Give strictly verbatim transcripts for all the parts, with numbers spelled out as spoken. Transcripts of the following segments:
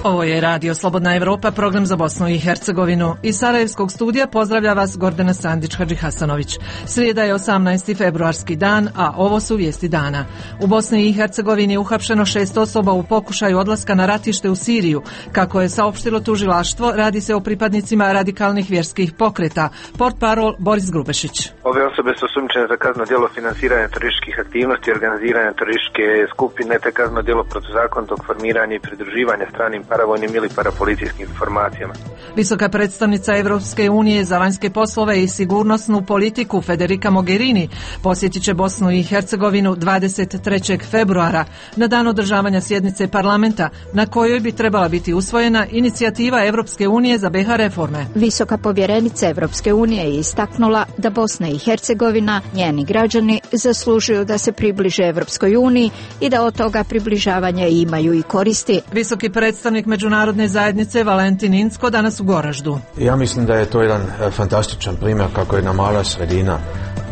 Ovo je Radio Slobodna Evropa, program za Bosnu i Hercegovinu. Iz Sarajevskog studija pozdravlja vas Gordana Sandić-Hadžihasanović. Srijeda je osamnaesti februarski dan, a ovo su vijesti dana. U Bosni i Hercegovini je uhapšeno šest osoba u pokušaju odlaska na ratište u Siriju. Kako je saopštilo tužilaštvo, radi se o pripadnicima radikalnih vjerskih pokreta. Portparol Boris Grubešić. Ove osobe su osumnjičene za kazneno djelo finansiranja terorističkih aktivnosti i organiziranja terorističke skupine, te kazneno djelo protuzakonitog formiranja i pridruživanja stranim paravojnim ili parapolicijskim informacijama. Visoka predstavnica Evropske unije za vanjske poslove i sigurnosnu politiku Federica Mogherini posjetit će Bosnu i Hercegovinu dvadeset trećeg februara na dan održavanja sjednice parlamenta na kojoj bi trebala biti usvojena inicijativa Evropske unije za B iH reforme. Visoka povjerenica Evropske unije je istaknula da Bosna i Hercegovina, njeni građani, zaslužuju da se približe Evropskoj uniji i da od toga približavanja imaju i koristi. Visoki predstavnik međunarodne zajednice Valentin Incko danas u Goraždu. Ja mislim da je to jedan fantastičan primjer kako jedna mala sredina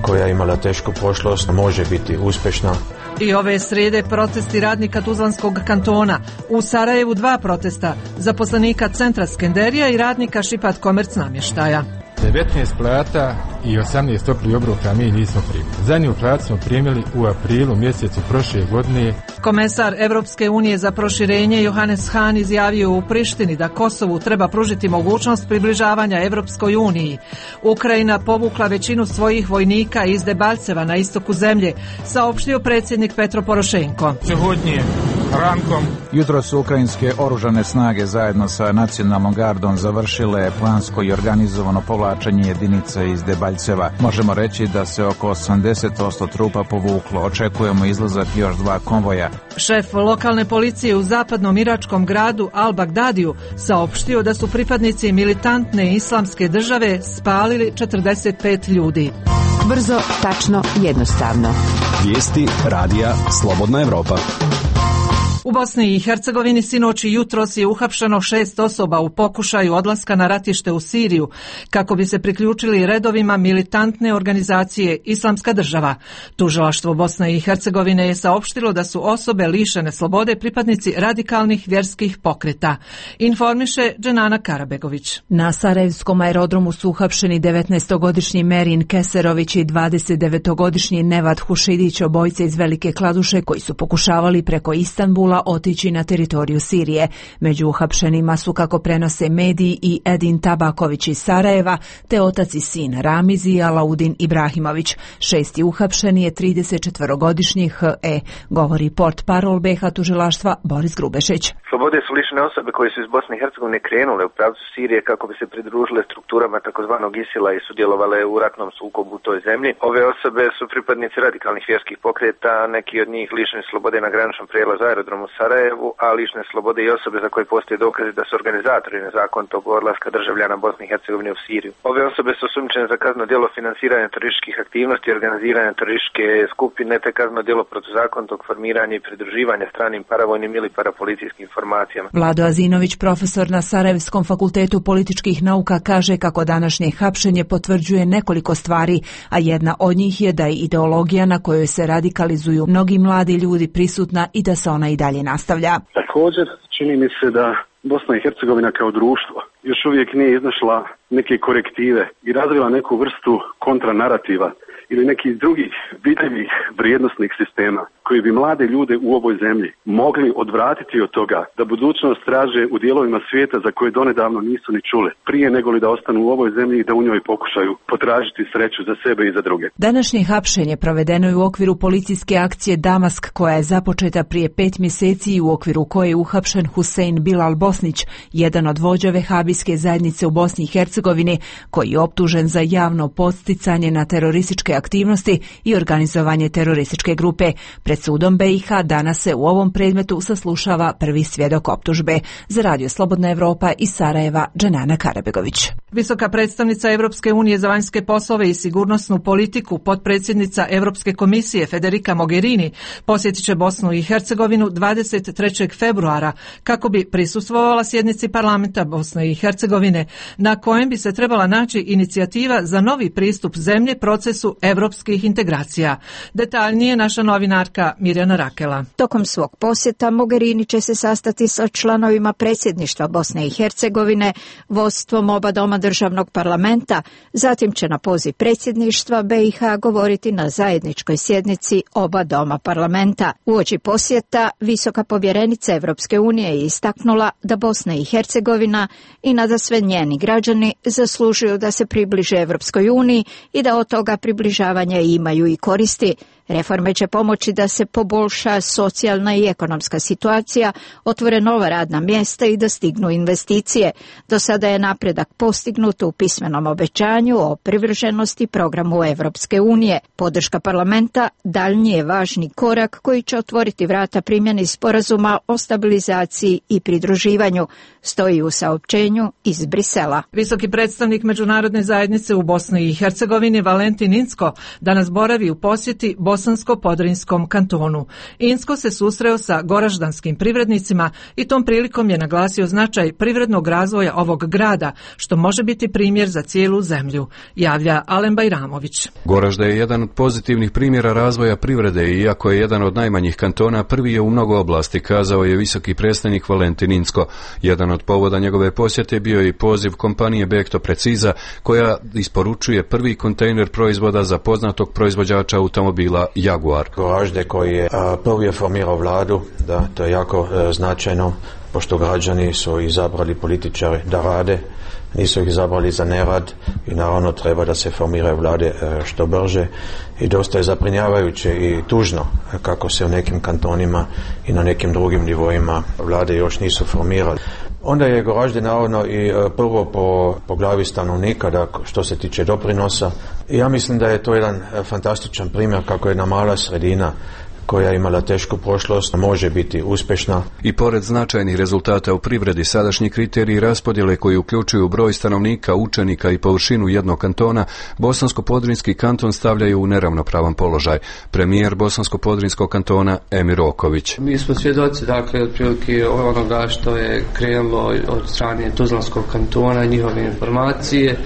koja je imala tešku prošlost može biti uspješna. I ove srijede protesti radnika Tuzlanskog kantona. U Sarajevu dva protesta, zaposlenika centra Skenderija i radnika Šipat Komerc namještaja. devetnaest plata i osamnaest toplih obroka mi nismo primili. Zadnju platu smo primili u aprilu mjesecu prošle godine. Komesar Evropske unije za proširenje Johannes Hahn izjavio u Prištini da Kosovu treba pružiti mogućnost približavanja Evropskoj uniji. Ukrajina povukla većinu svojih vojnika iz Debalceva na istoku zemlje, saopštio predsjednik Petro Porošenko. Shodnje rankom. Jutro su ukrajinske oružane snage zajedno sa nacionalnom gardom završile plansko i organizovano povlačenje jedinica iz Debalceva. Možemo reći da se oko osamdeset posto trupa povuklo. Očekujemo izlazak još dva konvoja. Šef lokalne policije u zapadnom iračkom gradu Al-Bagdadiju saopštio da su pripadnici militantne islamske države spalili četrdeset pet ljudi. Brzo, tačno, jednostavno. Vijesti Radija Slobodna Evropa. U Bosni i Hercegovini sinoć i jutros je uhapšeno šest osoba u pokušaju odlaska na ratište u Siriju kako bi se priključili redovima militantne organizacije Islamska država. Tužilaštvo Bosne i Hercegovine je saopštilo da su osobe lišene slobode pripadnici radikalnih vjerskih pokreta. Informiše Dženana Karabegović. Na Sarajevskom aerodromu su uhapšeni devetnaestogodišnji Merin Keserović i dvadesetdevetogodišnji Nevat Hušidić, obojice iz Velike Kladuše koji su pokušavali preko Istanbula otići na teritoriju Sirije. Među uhapšenima su, kako prenose mediji, i Edin Tabaković iz Sarajeva, te otac i sin Ramizi i Alaudin Ibrahimović. Šesti uhapšeni je tridesetčetvorogodišnji H E, govori portparol B iH tužilaštva Boris Grubešić. Slobode su lišene osobe koje su iz Bosne i Hercegovine krenule u pravcu Sirije kako bi se pridružile strukturama takozvanog Isila i sudjelovale u ratnom sukobu u toj zemlji. Ove osobe su pripadnici radikalnih vjerskih pokreta, neki od njih lišeni slobode na graničnom prijelazu aerodromu u Sarajevu, a lišne slobode i osobe za koje postoje dokazi da su organizatori nezakonitog odlaska državljana Bosne i Hercegovine u Siriju. Ove osobe su osumnjičene za kazneno djelo finansiranja terorističkih aktivnosti i organiziranja terorističke skupine, te kazneno djelo protuzakonitog formiranja i pridruživanja stranim paravojnim ili parapolicijskim informacijama. Vlado Azinović, profesor na Sarajevskom fakultetu političkih nauka, kaže kako današnje hapšenje potvrđuje nekoliko stvari, a jedna od njih je da je ideologija na kojoj se radikalizuju mnogi mladi ljudi prisutna i da se ona i dalje nastavlja. Također, čini mi se da Bosna i Hercegovina kao društvo još uvijek nije iznašla neke korektive i razvila neku vrstu kontranarativa ili nekih drugih vidljivih vrijednosnih sistema koji bi mlade ljude u ovoj zemlji mogli odvratiti od toga da budućnost traže u dijelovima svijeta za koje donedavno nisu ni čule, prije nego li da ostanu u ovoj zemlji i da u njoj pokušaju potražiti sreću za sebe i za druge. Današnje hapšenje provedeno je u okviru policijske akcije Damask, koja je započeta prije pet mjeseci i u okviru koje je uhapšen Husein Bilal Bosnić, jedan od vođa vehabijske zajednice u Bosni i Hercegovini, koji je optužen za javno podsticanje na terorističke aktivnosti i organizovanje terorističke grupe. Pred sudom B iH danas se u ovom predmetu saslušava prvi svjedok optužbe. Za Radio Slobodna Evropa iz Sarajeva, Dženana Karabegović. Visoka predstavnica Evropske unije za vanjske poslove i sigurnosnu politiku, potpredsjednica Europske komisije Federica Mogherini, posjetit će Bosnu i Hercegovinu dvadeset trećeg februara kako bi prisustvovala sjednici parlamenta Bosne i Hercegovine, na kojem bi se trebala naći inicijativa za novi pristup zemlje procesu evropskih integracija. Detaljnije naša novinarka Mirjana Rakela. Tokom svog posjeta Mogherini će se sastati sa članovima predsjedništva Bosne i Hercegovine, vodstvom oba doma državnog parlamenta, zatim će na poziv predsjedništva be i ha govoriti na zajedničkoj sjednici oba doma parlamenta. Uoči posjeta visoka povjerenica Evropske unije je istaknula da Bosna i Hercegovina i nadasve njeni građani zaslužuju da se približe Evropskoj uniji i da od toga približavanja imaju i koristi. Reforme će pomoći da se poboljša socijalna i ekonomska situacija, otvore nova radna mjesta i da stignu investicije. Do sada je napredak postignut u pismenom obećanju o privrženosti programu Evropske unije. Podrška parlamenta daljnji je važni korak koji će otvoriti vrata primjeni sporazuma o stabilizaciji i pridruživanju, stoji u saopćenju iz Brisela. Visoki predstavnik međunarodne zajednice u Bosni i Hercegovini Valentin Incko danas boravi u posjeti Bosansko-Podrinjskom kantonu. Incko se susreo sa goraždanskim privrednicima i tom prilikom je naglasio značaj privrednog razvoja ovog grada, što može biti primjer za cijelu zemlju, javlja Alen Bajramović. Goražda je jedan od pozitivnih primjera razvoja privrede i iako je jedan od najmanjih kantona, prvi je u mnogo oblasti, kazao je visoki predstavnik Valentin Incko. Jedan od povoda njegove posjete bio je i poziv kompanije Bekto Preciza, koja isporučuje prvi kontejner proizvoda za poznatog proizvođača automobila Jaguar. Goražde koji je a, prvi je formirao vladu, da to je jako e, značajno, pošto građani su izabrali političare da rade, nisu ih izabrali za nerad i naravno treba da se formiraju vlade e, što brže i dosta je zabrinjavajuće i tužno kako se u nekim kantonima i na nekim drugim nivoima vlade još nisu formirali. Onda je Goražde naravno i prvo po, po glavi stanovnika, da što se tiče doprinosa. I ja mislim da je to jedan fantastičan primjer kako jedna mala sredina koja je imala tešku prošlost može biti uspješna. I pored značajnih rezultata u privredi, sadašnji kriteriji raspodjele koji uključuju broj stanovnika, učenika i površinu jednog kantona, Bosansko-Podrinjski kanton stavljaju u neravnopravan položaj. Premijer Bosansko-Podrinjskog kantona Emir Oković. Mi smo svjedoci, dakle, otprilike onoga što je krenulo od strane Tuzlanskog kantona, njihove informacije.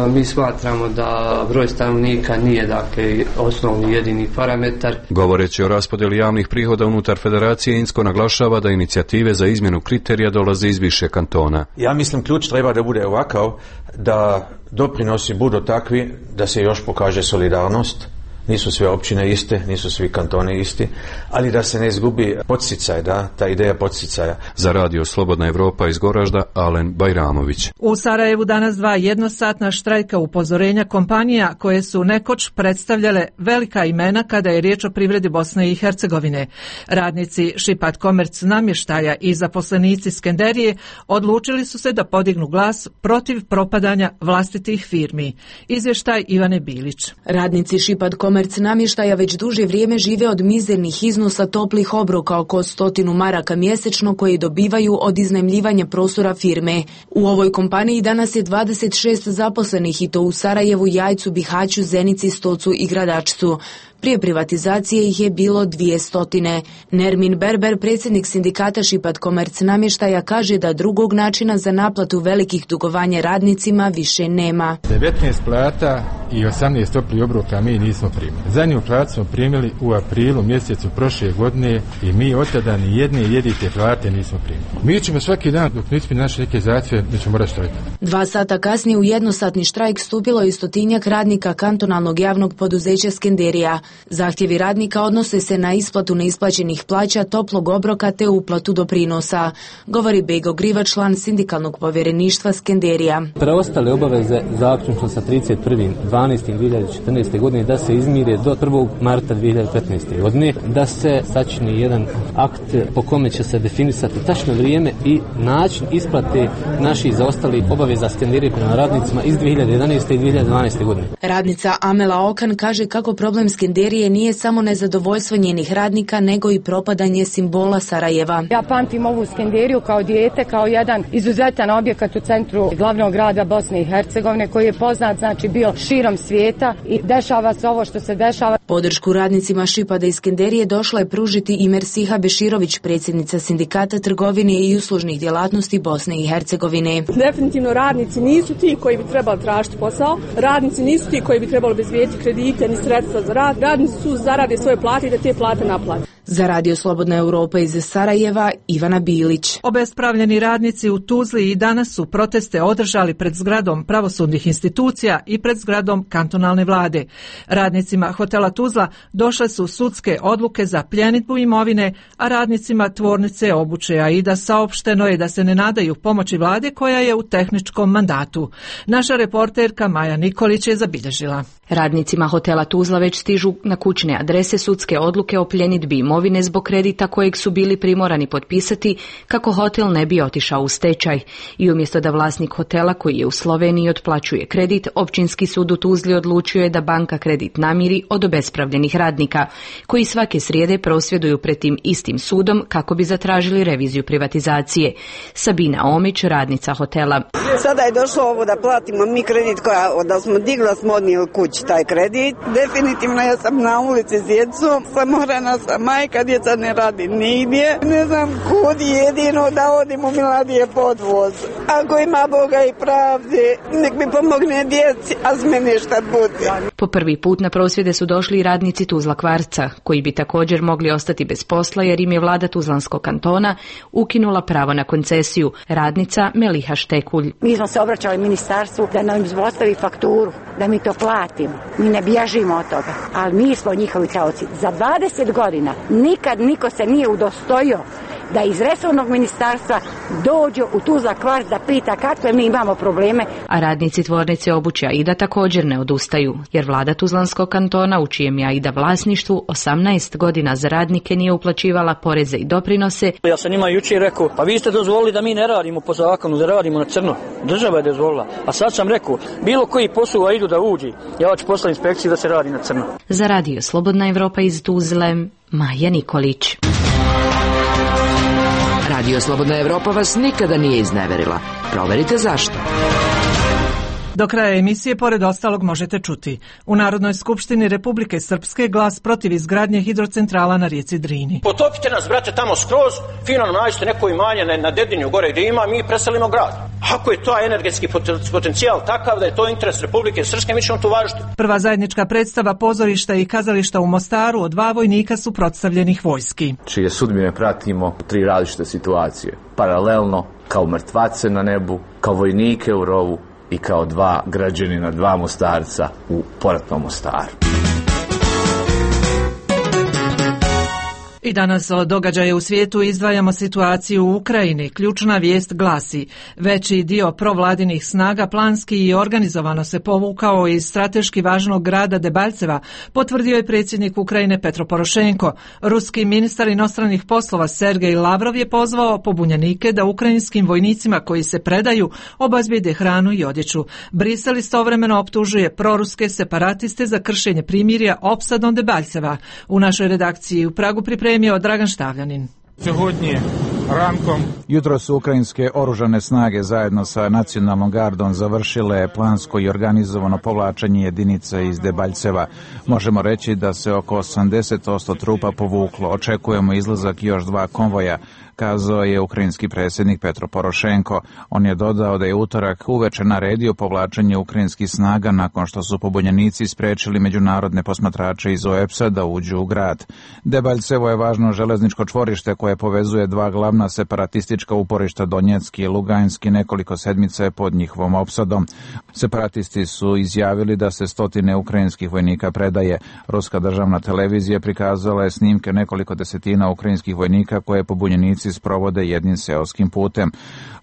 Mi smatramo da broj stanovnika nije, dakle, osnovni jedini parametar. Govoreći o raspodjeli javnih prihoda unutar federacije, Incko naglašava da inicijative za izmjenu kriterija dolaze iz više kantona. Ja mislim ključ treba da bude ovakav, da doprinosi budu takvi da se još pokaže solidarnost. Nisu sve općine iste, nisu svi kantoni isti, ali da se ne izgubi podsticaj, da, ta ideja podsticaja. Za radio Slobodna Evropa iz Goražda, Alen Bajramović. U Sarajevu danas dva jednosatna štrajka upozorenja kompanija koje su nekoć predstavljale velika imena kada je riječ o privredi Bosne i Hercegovine. Radnici Šipat Komerc namještaja i zaposlenici Skenderije odlučili su se da podignu glas protiv propadanja vlastitih firmi. Izvještaj Ivane Bilić. Radnici Šipat Komerc namještaja već duže vrijeme žive od mizernih iznosa toplih obroka oko stotinu maraka mjesečno koji dobivaju od iznajmljivanja prostora firme. U ovoj kompaniji danas je dvadeset šest zaposlenih i to u Sarajevu, Jajcu, Bihaću, Zenici, Stocu i Gradačcu. Prije privatizacije ih je bilo dvije stotine. Nermin Berber, predsjednik sindikata Šipat Komerc namještaja, kaže da drugog načina za naplatu velikih dugovanja radnicima više nema. devetnaest plata i osamnaest toplih obroka mi nismo primili. Zadnju platu smo primili u aprilu mjesecu prošle godine i mi od tada ni jedne jedite plate nismo primili. Mi ćemo svaki dan dok ne ispuni naše neke zahtjeve, mi ćemo morati štrajkati. Dva sata kasnije u jednosatni štrajk stupilo je stotinjak radnika kantonalnog javnog poduzeća Skenderija. Zahtjevi radnika odnose se na isplatu neisplaćenih plaća, toplog obroka te uplatu doprinosa, govori Bego Griva, član sindikalnog povjereništva Skenderija. Preostale obaveze zaključno sa trideset prvog dvanaestog dvije hiljade četrnaeste. godine da se izmire do prvog marta dvije hiljade petnaeste. godine, da se sačini jedan akt po kome će se definisati tačno vrijeme i način isplate naših zaostalih obaveza Skenderije prema radnicima iz dvije hiljade jedanaeste. i dvije hiljade dvanaeste. godine. Radnica Amela Okan kaže kako problem Skenderije Iskenderije nije samo nezadovoljstvo njenih radnika, nego i propadanje simbola Sarajeva. Ja pamtim ovu Iskenderiju kao dijete, kao jedan izuzetan objekat u centru glavnog grada Bosne i Hercegovine, koji je poznat, znači, bio širom svijeta i dešava se ovo što se dešava. Podršku radnicima Šipada Iskenderije došla je pružiti i Mersiha Beširović, predsjednica Sindikata trgovine i uslužnih djelatnosti Bosne i Hercegovine. Definitivno radnici nisu ti koji bi trebali tražiti posao, radnici nisu ti koji bi trebali obezbijediti kredite ni sredstva za rad, radnici su zarade svoje plate i da te plate naplate. Za Radio Slobodna Europa iz Sarajeva, Ivana Bilić. Obespravljeni radnici u Tuzli i danas su proteste održali pred zgradom pravosudnih institucija i pred zgradom kantonalne vlade. Radnicima hotela Tuzla došle su sudske odluke za pljenidbu imovine, a radnicima tvornice obuće Aida saopšteno je da se ne nadaju pomoći vlade koja je u tehničkom mandatu. Naša reporterka Maja Nikolić je zabilježila. Radnicima hotela Tuzla već stižu na kućne adrese sudske odluke o pljenidbi imovine zbog kredita kojeg su bili primorani potpisati kako hotel ne bi otišao u stečaj. I umjesto da vlasnik hotela koji je u Sloveniji otplaćuje kredit, općinski sud u Tuzli odlučio je da banka kredit namiri od obespravljenih radnika, koji svake srijede prosvjeduju pred tim istim sudom kako bi zatražili reviziju privatizacije. Sabina Omić, radnica hotela. Sada je došlo ovo da platimo mi kredit koja, da smo digla smo odnijeli kući taj kredit. Definitivno ja sam na ulici s djecom, samorana sam majka, djeca ne radi nigdje. Ne znam kud, jedino da odim u Miladije podvoz. Ako ima Boga i pravde, nek mi pomogne djeci, a s mene šta bude. Po prvi put na prosvjede su došli i radnici Tuzla Kvarca, koji bi također mogli ostati bez posla jer im je vlada Tuzlanskog kantona ukinula pravo na koncesiju. Radnica Meliha Štekulj. Mi smo se obraćali ministarstvu da nam izvostavi fakturu, da mi to platimo. Mi ne bježimo od toga, ali mi smo njihovi taoci. Za dvadeset godina nikad niko se nije udostojio da iz resornog ministarstva dođu u Tuzla Kvarc da pita kakve mi imamo probleme. A radnici tvornice obuće Aida također ne odustaju, jer vlada Tuzlanskog kantona, u čijem je Aida vlasništvu, osamnaest godina za radnike nije uplaćivala poreze i doprinose. Ja sam njima jučer rekao, pa vi ste dozvolili da mi ne radimo po zakonu, da radimo na crno. Država je dozvolila. A sad sam rekao, bilo koji posao u Aidu da uđi, ja ću poslati inspekciju da se radi na crno. Za Radio Slobodna Evropa iz Tuzle, Maja Nikolić. Radio Slobodna Evropa vas nikada nije izneverila. Proverite zašto. Do kraja emisije, pored ostalog, možete čuti: u Narodnoj skupštini Republike Srpske glas protiv izgradnje hidrocentrala na rijeci Drini. Potopite nas, brate, tamo skroz, fino nam nađete neko imanje na, na Dedinju gore gdje ima, mi preselimo grad. Ako je to energetski potencijal takav da je to interes Republike Srpske, mi ćemo to važiti. Prva zajednička predstava pozorišta i kazališta u Mostaru od dva vojnika suprotstavljenih vojski, čije sudbine pratimo u tri različite situacije. Paralelno, kao mrtvace na nebu, kao vojnike u rovu i kao dva građanina, dva Mostarca u poratnom Mostaru. I danas o događaje u svijetu izdvajamo situaciju u Ukrajini. Ključna vijest glasi: veći dio provladinih snaga planski i organizovano se povukao iz strateški važnog grada Debalceva, potvrdio je predsjednik Ukrajine Petro Porošenko. Ruski ministar inostranih poslova Sergej Lavrov je pozvao pobunjenike da ukrajinskim vojnicima koji se predaju obezbijede hranu i odjeću. Brisel istovremeno optužuje proruske separatiste za kršenje primirja opsadom Debalceva. U našoj redakciji u Pragu pripremio Dragan Štavljanin. Jutro su ukrajinske oružane snage zajedno sa nacionalnom gardom završile plansko i organizovano povlačenje jedinica iz Debalceva. Možemo reći da se oko osamdeset posto trupa povuklo. Očekujemo izlazak još dva konvoja, kazao je ukrajinski predsjednik Petro Porošenko. On je dodao da je utorak uveče naredio povlačenje ukrajinskih snaga nakon što su pobunjenici spriječili međunarodne posmatrače iz O E P S-a da uđu u grad. Debalcevo je važno železničko čvorište koje povezuje dva glavna separatistička uporišta, Donjecki i Luganski, nekoliko sedmica je pod njihovom opsadom. Separatisti su izjavili da se stotine ukrajinskih vojnika predaje. Ruska državna televizija prikazala je snimke nekoliko desetina ukrajinskih vojnika koje pobunjenici sprovode jednim seoskim putem.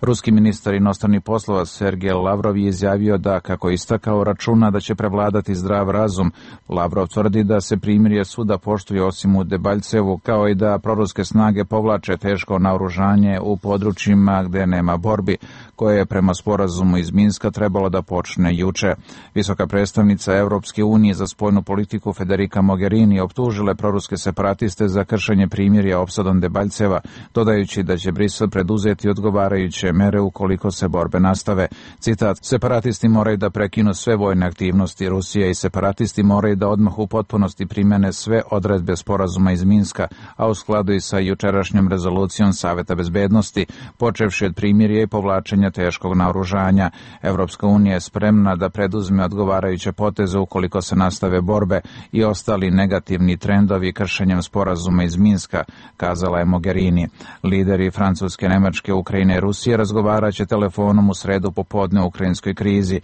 Ruski ministar inostranih poslova Sergej Lavrov je izjavio da, kako je istakao, računa da će prevladati zdrav razum. Lavrov tvrdi da se primirje svuda poštuje osim u Debalcevu, kao i da proruske snage povlače teško naoružane naoružanje u područjima gdje nema borbi, koje je prema sporazumu iz Minska trebalo da počne juče. Visoka predstavnica Europske unije za spoljnu politiku Federica Mogherini optužile proruske separatiste za kršenje primirja opsadom Debaljceva, dodajući da će Brisel preduzeti odgovarajuće mere ukoliko se borbe nastave. Citat: separatisti moraju da prekinu sve vojne aktivnosti Rusije i separatisti moraju da odmah u potpunosti primene sve odredbe sporazuma iz Minska, a u skladu i sa jučerašnjom rezolucijom Saveta bezbednosti, počevši od primirja i povlačenja teškog naoružanja. Evropska unija je spremna da preduzme odgovarajuće poteze ukoliko se nastave borbe i ostali negativni trendovi kršenjem sporazuma iz Minska, kazala je Mogherini. Lideri Francuske, Nemačke, Ukrajine i Rusije razgovaraće telefonom u sredu popodne o ukrajinskoj krizi.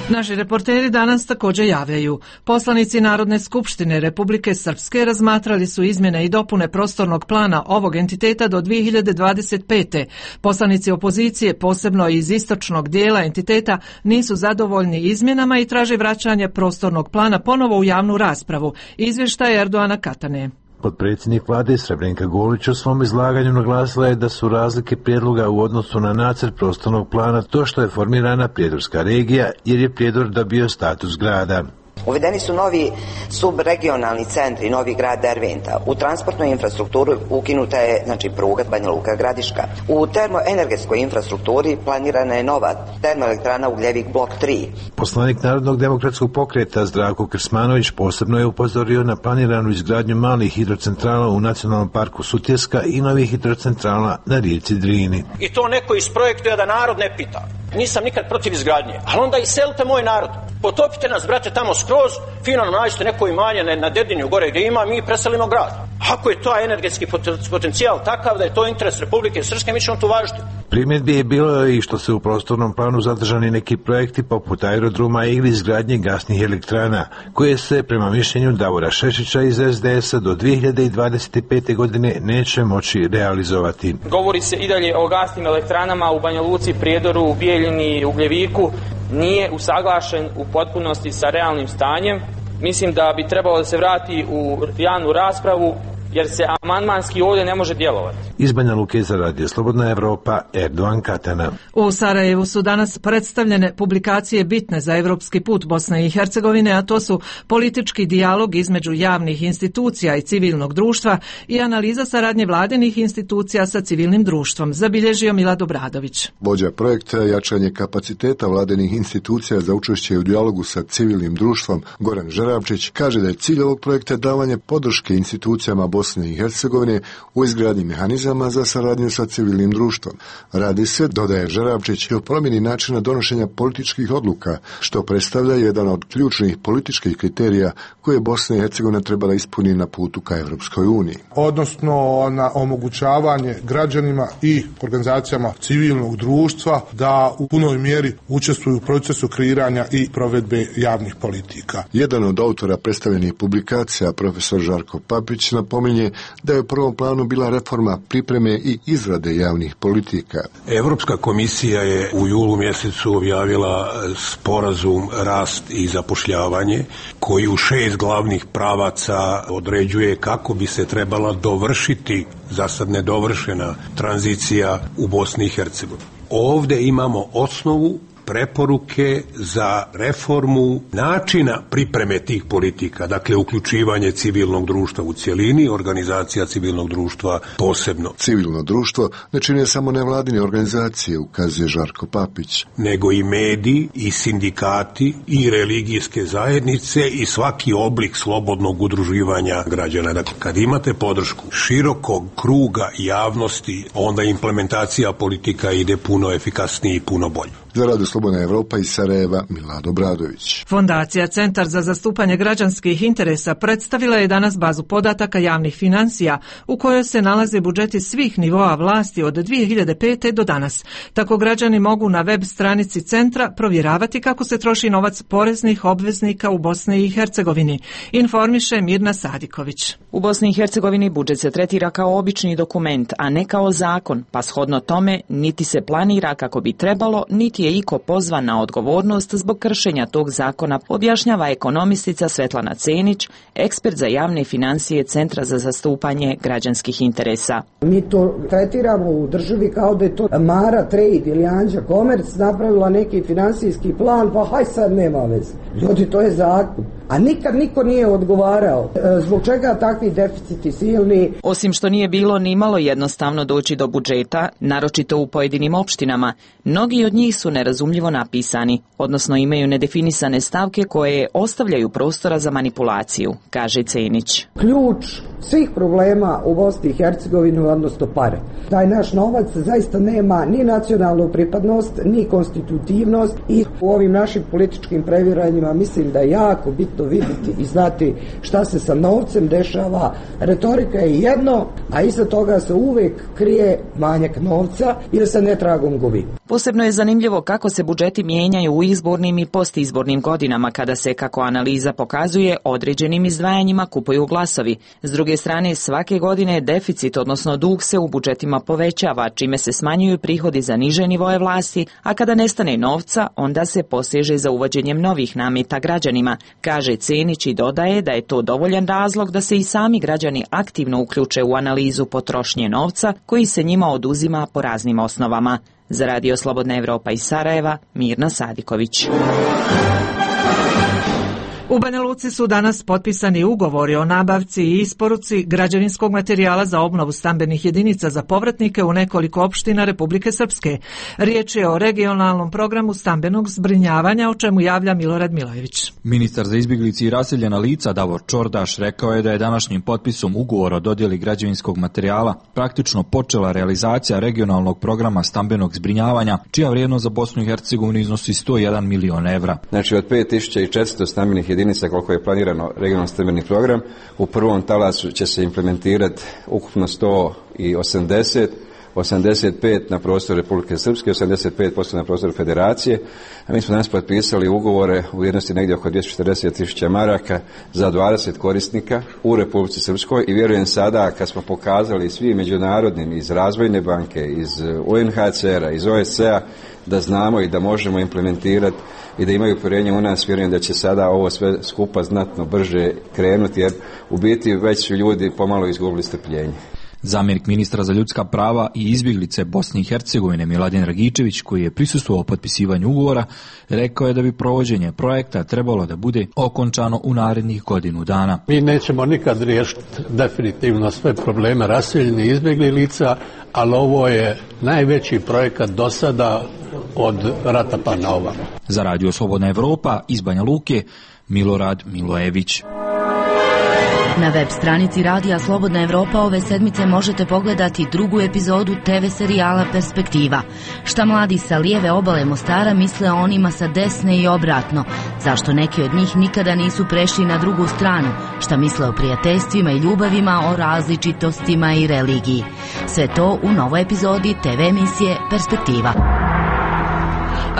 Naši reporteri danas također javljaju. Poslanici Narodne skupštine Republike Srpske razmatrali su izmjene i dopune prostornog plana ovog entiteta do dvije hiljade dvadeset pete. Poslanici opozicije, posebno iz istočnog dijela entiteta, nisu zadovoljni izmjenama i traže vraćanje prostornog plana ponovo u javnu raspravu. Izvještaj Erdoana Katane. Potpredsjednik vlade Srebrenka Golić u svom izlaganju naglasila je da su razlike prijedloga u odnosu na nacrt prostornog plana to što je formirana Prijedorska regija, jer je Prijedor dobio status grada. Uvedeni su novi subregionalni centri, novi grad Derventa. U transportnoj infrastrukturi ukinuta je, znači, pruga Banja Luka Gradiška. U termoenergetskoj infrastrukturi planirana je nova termoelektrana Ugljevik blok tri. Poslanik Narodnog demokratskog pokreta Zdravko Krsmanović posebno je upozorio na planiranu izgradnju malih hidrocentrala u Nacionalnom parku Sutjeska i novih hidrocentrala na rijeci Drini. I to neko isprojektuje da narod ne pita. Nisam nikad protiv izgradnje, ali onda iselite moj narod. Potopite nas, brate, tamo skroz, fino nam nađite neko imanje na Dedinju gore gdje ima, mi preselimo grad. Ako je to energetski potencijal takav da je to interes Republike Srpske, mi ćemo to važiti. Primjedbi je bilo i što se u prostornom planu zadržani neki projekti poput aerodroma ili izgradnje gasnih elektrana, koje se prema mišljenju Davora Šešića iz es de esa do dvije hiljade dvadeset pete. godine neće moći realizovati. Govori se i dalje o gasnim elektranama u Banja Luci, Prijedoru, Bijeljini, Ugljeviku. Nije usaglašen u potpunosti sa realnim stanjem. Mislim da bi trebalo da se vrati u javnu raspravu, jer se amandmanski ovdje ne može djelovati. Iz Banja Luke za Radio Slobodna Evropa, Erdoan Katana. U Sarajevu su danas predstavljene publikacije bitne za evropski put Bosne i Hercegovine, a to su politički dijalog između javnih institucija i civilnog društva i analiza saradnje vladinih institucija sa civilnim društvom, zabilježio Milad Obradović. Vođa projekta jačanje kapaciteta vladinih institucija za učešće u dijalogu sa civilnim društvom, Goran Žerabčić, kaže da je cilj ovog projekta davanje podrške institucijama Bosne i Hercegovine u izgradnji mehanizama za saradnju sa civilnim društvom. Radi se, dodaje Žerabčić, i o promjeni načina donošenja političkih odluka, što predstavlja jedan od ključnih političkih kriterija koje Bosna i Hercegovina trebala ispuni na putu ka Evropskoj uniji. Odnosno na omogućavanje građanima i organizacijama civilnog društva da u punoj mjeri učestvuju u procesu kreiranja i provedbe javnih politika. Jedan od autora predstavljenih publikacija, profesor Žarko Papić, napominje da je u prvom planu bila reforma pripreme i izrade javnih politika. Evropska komisija je u julu mjesecu objavila sporazum Rast i zapošljavanje, koji u šest glavnih pravaca određuje kako bi se trebala dovršiti, za sad nedovršena, tranzicija u Bosni i Hercegovini. Ovdje imamo osnovu preporuke za reformu načina pripreme tih politika, dakle uključivanje civilnog društva u cjelini, organizacija civilnog društva posebno. Civilno društvo ne čine samo nevladine organizacije, ukazuje Žarko Papić, nego i mediji, i sindikati, i religijske zajednice i svaki oblik slobodnog udruživanja građana. Dakle, kad imate podršku širokog kruga javnosti, onda implementacija politika ide puno efikasnije i puno bolje. Za Radio Slobodna Evropa iz Sarajeva, Milad Obradović. Fondacija Centar za zastupanje građanskih interesa predstavila je danas bazu podataka javnih financija u kojoj se nalaze budžeti svih nivoa vlasti od dvije hiljade pete. do danas. Tako građani mogu na web stranici centra provjeravati kako se troši novac poreznih obveznika u Bosni i Hercegovini, informiše Mirna Sadiković. U Bosni i Hercegovini budžet se tretira kao obični dokument, a ne kao zakon, pa shodno tome niti se planira kako bi trebalo, niti je iko pozvan na odgovornost zbog kršenja tog zakona, objašnjava ekonomistica Svetlana Cenić, ekspert za javne financije Centra za zastupanje građanskih interesa. Mi to tretiramo u državi kao da je to Mara Trade ili Anđa Komerc napravila neki finansijski plan, pa haj sad nema veze. Ljudi, to je zakon. A nikad niko nije odgovarao. Zbog čega takvi deficiti silni? Osim što nije bilo ni malo jednostavno doći do budžeta, naročito u pojedinim opštinama, mnogi od njih su nerazumljivo napisani, odnosno imaju nedefinisane stavke koje ostavljaju prostora za manipulaciju, kaže Cenić. Ključ svih problema u Bosni i Hercegovini, odnosno pare. Taj naš novac zaista nema ni nacionalnu pripadnost, ni konstitutivnost i u ovim našim političkim previranjima mislim da je jako bitno vidjeti i znati šta se sa novcem dešava. Retorika je jedno, a iza toga se uvek krije manjak novca ili se netragom gubi. Posebno je zanimljivo kako se budžeti mijenjaju u izbornim i postizbornim godinama kada se, kako analiza pokazuje, određenim izdvajanjima kupuju glasovi. S druge strane, svake godine deficit, odnosno dug, se u budžetima povećava, čime se smanjuju prihodi za niže nivoje vlasti, a kada nestane novca, onda se poseže za uvođenjem novih nameta građanima, kaže Cenić i dodaje da je to dovoljan razlog da se i sami građani aktivno uključe u analizu potrošnje novca koji se njima oduzima po raznim osnovama. Za Radio Slobodna Evropa iz Sarajeva, Mirna Sadiković. U Banja Luci su danas potpisani ugovori o nabavci i isporuci građevinskog materijala za obnovu stambenih jedinica za povratnike u nekoliko opština Republike Srpske. Riječ je o regionalnom programu stambenog zbrinjavanja, o čemu javlja Milorad Milojević. Ministar za izbjeglice i raseljena lica Davor Čordaš rekao je da je današnjim potpisom ugovora o dodjeli građevinskog materijala praktično počela realizacija regionalnog programa stambenog zbrinjavanja, čija vrijednost za Bosnu i Hercegovinu iznosi sto jedan milion evra. Znači od pet tisuća četiristo stambenih jedinica koliko je planirano regionalni stambeni program, u prvom talasu će se implementirati ukupno sto osamdeset, osamdeset pet na prostoru Republike Srpske, osamdeset pet posto na prostoru Federacije, a mi smo danas potpisali ugovore u vrijednosti negdje oko dvjesto četrdeset tisuća maraka za dvadeset korisnika u Republici Srpskoj i vjerujem sada kad smo pokazali svi međunarodnim iz Razvojne banke, iz U N H C R-a, iz O S C-a da znamo i da možemo implementirati i da imaju povjerenje u nas, vjerujem da će sada ovo sve skupa znatno brže krenuti, jer u biti već su ljudi pomalo izgubili strpljenje. Zamjenik ministra za ljudska prava i izbjeglice Bosne i Hercegovine Miladin Dragičević, koji je prisustvovao potpisivanju ugovora, rekao je da bi provođenje projekta trebalo da bude okončano u narednih godinu dana. Mi nećemo nikad riješiti definitivno sve probleme raseljenih izbjeglih lica, ali ovo je najveći projekat do sada od rata pa na ovamo. Za Radio Slobodna Evropa iz Banja Luke, Milorad Milojević. Na web stranici Radija Slobodna Evropa ove sedmice možete pogledati drugu epizodu te ve serijala Perspektiva. Šta mladi sa lijeve obale Mostara misle o onima sa desne i obratno? Zašto neki od njih nikada nisu prešli na drugu stranu? Šta misle o prijateljstvima i ljubavima, o različitostima i religiji? Sve to u novoj epizodi te ve emisije Perspektiva.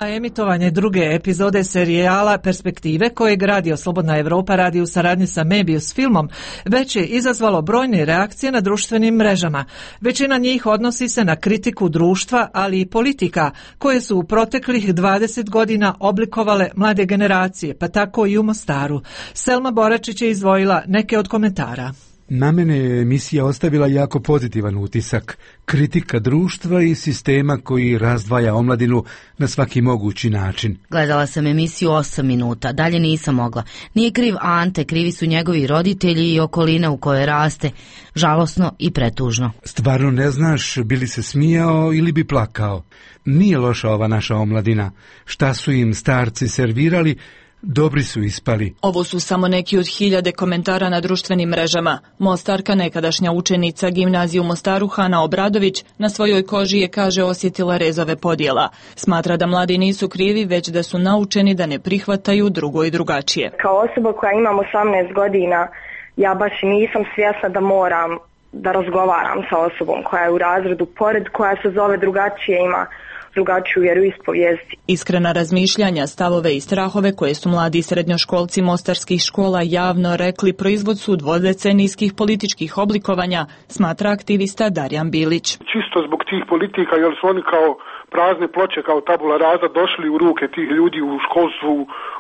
A emitovanje druge epizode serijala Perspektive, kojeg Radio Slobodna Evropa radi u saradnji sa Mebius filmom, već je izazvalo brojne reakcije na društvenim mrežama. Većina njih odnosi se na kritiku društva, ali i politika, koje su u proteklih dvadeset godina oblikovale mlade generacije, pa tako i u Mostaru. Selma Boračić je izdvojila neke od komentara. Na mene je emisija ostavila jako pozitivan utisak, kritika društva i sistema koji razdvaja omladinu na svaki mogući način. Gledala sam emisiju osam minuta, dalje nisam mogla. Nije kriv Ante, krivi su njegovi roditelji i okolina u kojoj raste. Žalosno i pretužno. Stvarno ne znaš bi li se smijao ili bi plakao. Nije loša ova naša omladina. Šta su im starci servirali, dobri su ispali. Ovo su samo neki od hiljade komentara na društvenim mrežama. Mostarka, nekadašnja učenica gimnazije u Mostaru, Hana Obradović, na svojoj koži je, kaže, osjetila rezove podjela. Smatra da mladi nisu krivi, već da su naučeni da ne prihvataju drugo i drugačije. Kao osoba koja imam osamnaest godina, ja baš nisam svjesna da moram da razgovaram sa osobom koja je u razredu pored, koja se zove drugačije, ima drugačiju vjeroispovijest. Iskrena razmišljanja, stavove i strahove koje su mladi srednjoškolci mostarskih škola javno rekli proizvod su dvodecenijskih političkih oblikovanja, smatra aktivista Darjan Bilić. Čisto zbog tih politika, jer su oni kao prazne ploče kao tabula rasa došli u ruke tih ljudi u školstvu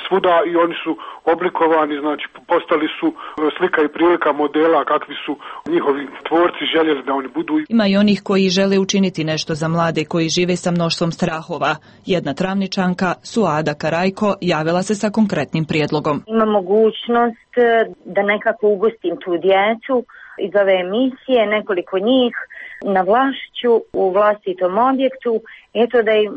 svuda i oni su oblikovani, znači postali su slika i prilika modela kakvi su njihovi tvorci željeli da oni budu. Ima i onih koji žele učiniti nešto za mlade koji žive sa mnoštvom strahova. Jedna Travničanka, Suada Karajko, javila se sa konkretnim prijedlogom. Ima mogućnost da nekako ugostim tu djecu iz ove emisije, nekoliko njih, na Vlašću, u vlastitom objektu, eto da im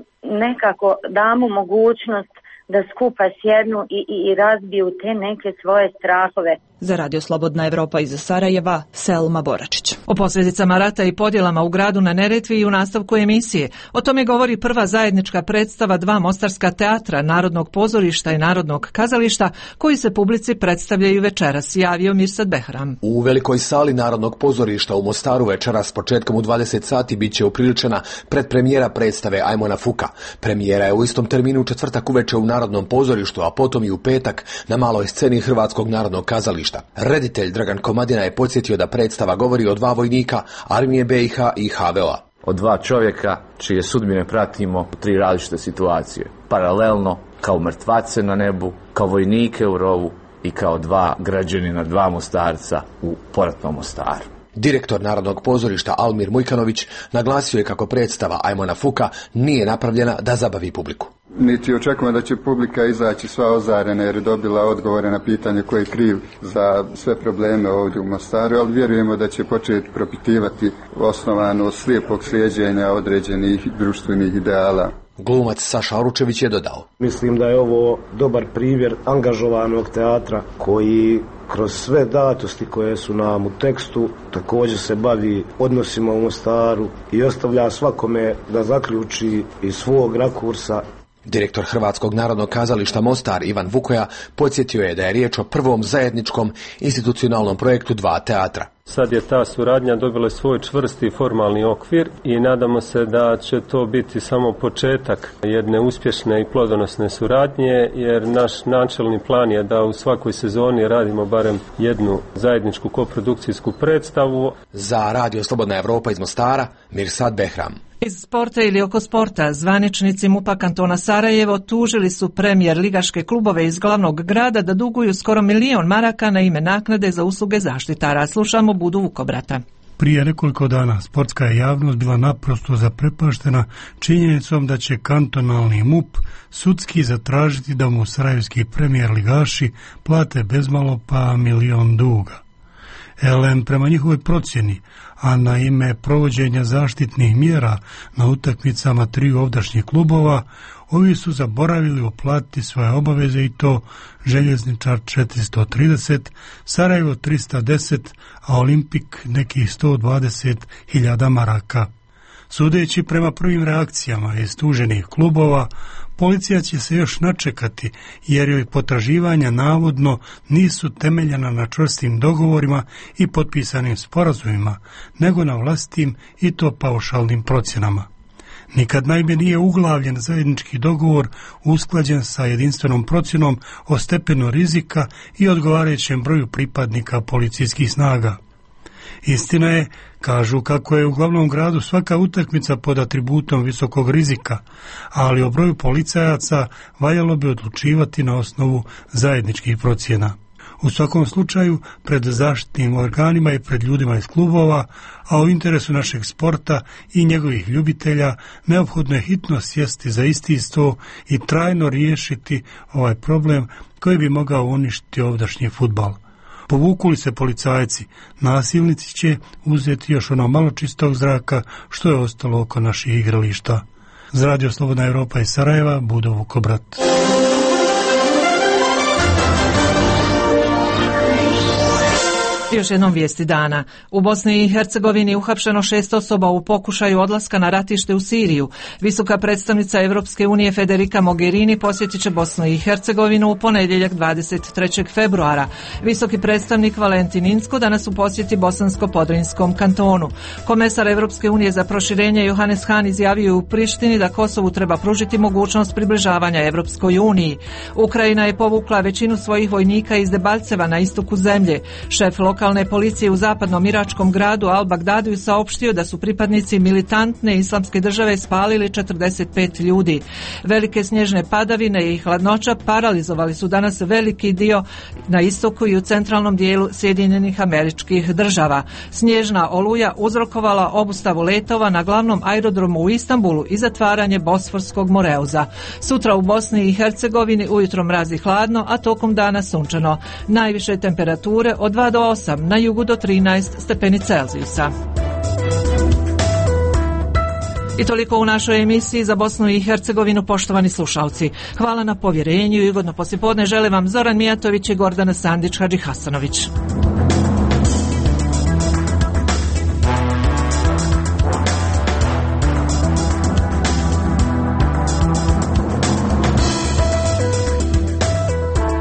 nekako damo mogućnost da skupa sjednu i, i, i razbiju te neke svoje strahove. Za Radio Slobodna Evropa iz Sarajeva, Selma Boračić. O posljedicama rata i podjelama u gradu na Neretvi i u nastavku emisije. O tome govori prva zajednička predstava dva mostarska teatra, Narodnog pozorišta i Narodnog kazališta, koji se publici predstavljaju večeras, javio Mirsad Behram. U velikoj sali Narodnog pozorišta u Mostaru večeras početkom u dvadeset sati bit će upriličena predpremijera predstave Ajmona Fuka. Premijera je u istom terminu u četvrtak uveče u Narodnom pozorištu, a potom i u petak na maloj sceni Hrvatskog narodnog kazališta. Reditelj Dragan Komadina je podsjetio da predstava govori o dva vojnika Armije be i ha i ha ve o-a. O dva čovjeka čije sudbine pratimo u tri različite situacije. Paralelno, kao mrtvace na nebu, kao vojnike u rovu i kao dva građanina, dva Mostarca u poratnom Mostaru. Direktor Narodnog pozorišta Almir Mujkanović naglasio je kako predstava Ajmona Fuka nije napravljena da zabavi publiku. Niti očekujemo da će publika izaći sva ozarena jer je dobila odgovore na pitanje ko je kriv za sve probleme ovdje u Mostaru, ali vjerujemo da će početi propitivati osnovano slijepog slijeđenja određenih društvenih ideala. Glumac Saša Oručević je dodao: Mislim da je ovo dobar primjer angažovanog teatra koji kroz sve datosti koje su nam u tekstu također se bavi odnosima u Mostaru i ostavlja svakome da zaključi iz svog rakursa. Direktor Hrvatskog narodnog kazališta Mostar Ivan Vukoja podsjetio je da je riječ o prvom zajedničkom institucionalnom projektu dva teatra. Sad je ta suradnja dobila svoj čvrsti formalni okvir i nadamo se da će to biti samo početak jedne uspješne i plodonosne suradnje, jer naš načelni plan je da u svakoj sezoni radimo barem jednu zajedničku koprodukcijsku predstavu. Za Radio Slobodna Evropa iz Mostara, Mirsad Behram. Iz sporta ili oko sporta, zvaničnici MUP-a kantona Sarajevo tužili su premijer ligaške klubove iz glavnog grada da duguju skoro milion maraka na ime naknade za usluge zaštitara. Slušamo Budu Vukobrata. Prije nekoliko dana sportska je javnost bila naprosto zaprepaštena činjenicom da će kantonalni MUP sudski zatražiti da mu sarajevski premijer ligaši plate bezmalo pa milion duga. Elem, prema njihovoj procjeni, a na ime provođenja zaštitnih mjera na utakmicama triju ovdašnjih klubova, ovi su zaboravili uplatiti svoje obaveze i to Željezničar četiristo trideset, Sarajevo tristo deset, a Olimpik nekih sto dvadeset hiljada maraka. Sudeći prema prvim reakcijama iz tuženih klubova, policija će se još načekati jer joj potraživanja navodno nisu temeljena na čvrstim dogovorima i potpisanim sporazumima, nego na vlastitim i to paušalnim procjenama. Nikad naime nije uglavljen zajednički dogovor usklađen sa jedinstvenom procjenom o stepenu rizika i odgovarajućem broju pripadnika policijskih snaga. Istina je, kažu, kako je u glavnom gradu svaka utakmica pod atributom visokog rizika, ali o broju policajaca valjalo bi odlučivati na osnovu zajedničkih procjena. U svakom slučaju, pred zaštitnim organima i pred ljudima iz klubova, a u interesu našeg sporta i njegovih ljubitelja, neophodno je hitno sjesti za isti sto i trajno riješiti ovaj problem koji bi mogao uništiti ovdašnji fudbal. Povuku li se policajci, nasilnici će uzeti još ono malo čistog zraka što je ostalo oko naših igrališta. Za Radio Slobodna Evropa iz Sarajeva, Budo Vukobrat. Još jednom vijesti dana. U Bosni i Hercegovini uhapšeno šest osoba u pokušaju odlaska na ratište u Siriju. Visoka predstavnica Evropske unije Federica Mogherini posjetit će Bosnu i Hercegovinu u ponedjeljak dvadeset trećeg februara. Visoki predstavnik Valentin Inzko danas u posjeti Bosansko-Podrinskom kantonu. Komesar Evropske unije za proširenje Johannes Hahn izjavio u Prištini da Kosovu treba pružiti mogućnost približavanja Evropskoj uniji. Ukrajina je povukla većinu svojih vojnika iz Debalceva na istoku zemlje. Šef lokalne centralne policije u zapadnom iračkom gradu Al-Bagdadiju saopštio da su pripadnici militantne islamske države spalili četrdeset pet ljudi. Velike snježne padavine i hladnoća paralizovali su danas veliki dio na istoku i u centralnom dijelu Sjedinjenih Američkih Država. Snježna oluja uzrokovala obustavu letova na glavnom aerodromu u Istanbulu i zatvaranje Bosforskog moreuza. Sutra u Bosni i Hercegovini ujutro mrazi hladno, a tokom dana sunčano. Najviše temperature od dva do osam, na jugu do trinaest stepeni Celzijusa. I toliko u našoj emisiji za Bosnu i Hercegovinu, poštovani slušalci. Hvala na povjerenju i ugodno poslijepodne žele vam Zoran Mijatović i Gordana Sandić Hadžihasanović.